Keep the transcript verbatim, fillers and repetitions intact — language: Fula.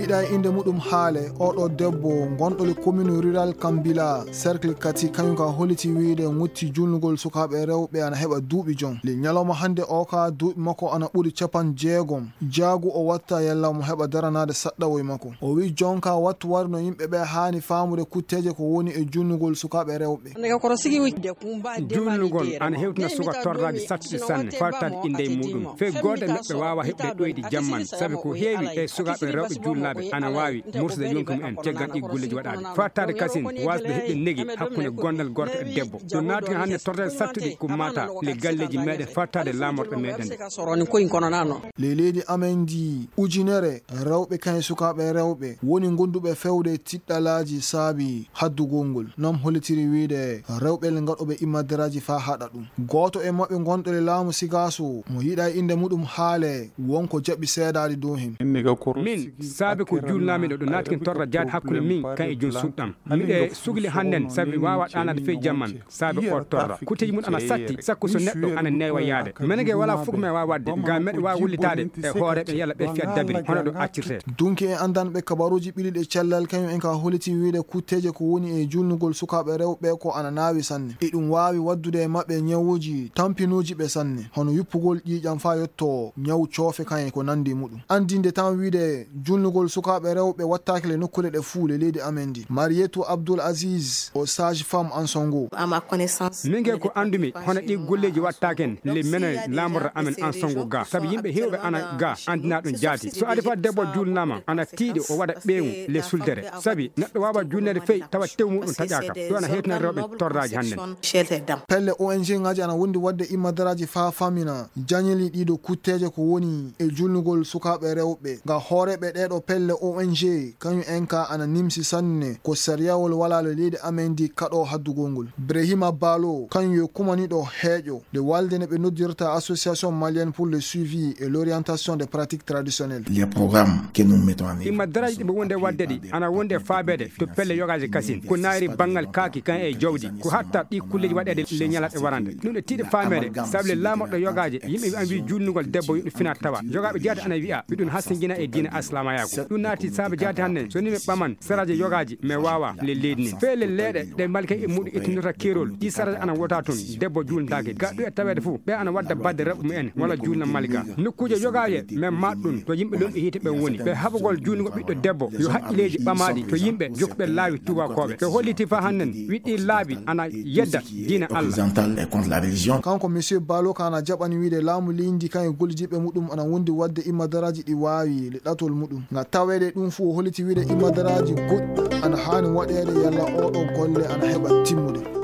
Ɗa e innde muɗum haale, oɗo debbo gonɗo le commune rural Kambila, cercle Kati, kañum ka holiti wiyde ŋutti julnugol sukaaɓe rewɓe ana heɓa duuɓi jom. Le ñalawma hannde o ka duuɓi makko ana ɓuri capan jeegom. Jaagu o watta yalla mo heɓa daranaade saɗɗawoy makko. O wi jonka wattu wari no yimɓe ɓe haani faamude kutteeje ko woni e julnugol sukaaɓe rewɓe. Julnugol ana hewtina suka torraaji sattuɗi sanne, fartaade innde e muɗum. Fey gooto e maɓɓe waawa heɓde ɗoyɗi jamman, sabi ko heewi e sukaaɓe rewɓe julnaaɓe ana waawi mursude yonki mumen caggal ɗi golleeji waɗaade. Fartaade kasin waasde heɓde negi hakkunde gondal gorko e debbo. Ɗum naati hannde torraaji sattuɗi ko mata le galleeji meɗen fartaade laamorɗe meɗen. Le leydi amen ndi ujunere rewɓe kañe sukaaɓe rewɓe woni gonduɓe fewde tiɗɗalaaji saabi haddugol ngol. Nam hollitiri wiyde rewɓe le ngaɗoɓe immadaraaji faa haɗa ɗum. Gooto e maɓɓe gonɗo le laamu Sigaaso mo yiɗa e innde muɗum haale wonko jaɓi seedaade dow hen. Min, saabe ko julnaami ɗo, ɗo naati ken torra jaade hakkunde min kan e jom suuɗam. Miɗe sugli hannden sabi mi waawa ɗaanaade fey jamman. Saabe o torra. Kutteeji mun ana satti, sakko so neɗɗo ana neewa yaade. Menen ge wala fof ko men waawa waɗde, ngam meɗen waawa wullitaade e hooreeɓe yalla ɓe fiya dabiri, hono ɗo accirtee. Dunki e anndanɓe kabaruuji ɓiliɗe cellal kañum en ka holiti wiyde kutteeje ko woni e julnugol sukaaɓe rewɓe ko ana naawi sanne. E ɗum waawi waddude e maɓɓe ñawuuji tampinuuji ɓe sanne, hono yuppugol ƴiiƴam faa yotto ñaw coofe kan e ko nanndi muɗum. Anndinde tan wiyde julnugol sukaaɓe rewɓe wattaake le nokkuure ɗe fuu le leydi amen ndi. Marietou Abdoul Aziz o sage femme Ansongo. Min ge ko anndumi, hono ɗi golleeji wattaake en, le menen laamorɗo amen Ansongo ga. Sabi yimɓe heewɓe ana ga anndina ɗum jaati. So adi fa debbo julnaama, ana tiiɗi o waɗa ɓeewu le suldere. Sabi neɗɗo waawa julneede fey tawa tew muɗum taƴaaka. Ɗum ana hewtina rewɓe torraaji hannden. Pelle O N G ngaaji ana wondi waɗde immadaraaji faa famina jañeli ɗiɗo kutteeje ko woni e julnugol sukaaɓe rewɓe. Nga hooreeɓe ɗeeɗo pelle O N G kañum en ka ana nimsi sanne ko sariyawol wala le leydi amen ndi kaɗo haddugol ngol. Brahima Balo kañum yo kumaniɗo heeƴo nde walde ne ɓe noddirta Association Malienne pour le Suivi et l'Orientation des Pratiques Traditionnelles. Les programmes que nous mettons en œuvre. Immadaraaji ɗi ɓe wonde waɗde ɗi ana wonde faabeede to pelle yogaaji kasin. Ko naayri banngal kaaki kan e jawdi. Ko hatta ɗi kulleeji waɗeede le ñalaɗe warande. Ɗum ɗe tiiɗe faameede, sabu le laamorɗo yogaaje, yimɓe wi'an wi julnugol debbo yo ɗum fina tawa. Yogaaɓe jaati ana wi'a, wi ɗum hasingina e diina aslamayaaku. Ɗum naati saabe jaati hannden, so ni mi ɓaman saraaji yogaaji, mi waawa le leydi nin. Fee le leeɗe ɗe malika e muɗum ittinirta keerol, ɗi saraaji ana wota tun, debbo julndaake. Ga ɗum e taweede fof, ɓe ana wadda badde rewɓe mumen, walla julna malika. Nokkuuje yogaaje, men maat ɗum, to yimɓe lomɓe hiite ɓen woni. Ɓe haɓugol julnugol ɓiɗɗo debbo, yo haqqilleeji ɓamaaɗi, to yimɓe jokkuɓe laawi tuubakooɓe. Ɓe holliti fa hannden, wi ɗi laabi ana yedda diina Allah. Kanko Monsieur Balo ka ana jaɓani wiide laamu leydi kan e gollidiiɓe muɗum ana wondi waɗde immadaraaji ɗi waawi le ɗatol muɗum. Nga taweede ɗum fof o holliti wiide immadaraaji goɗɗi ana haani waɗeede yalla oɗo golle ana heɓa timmude.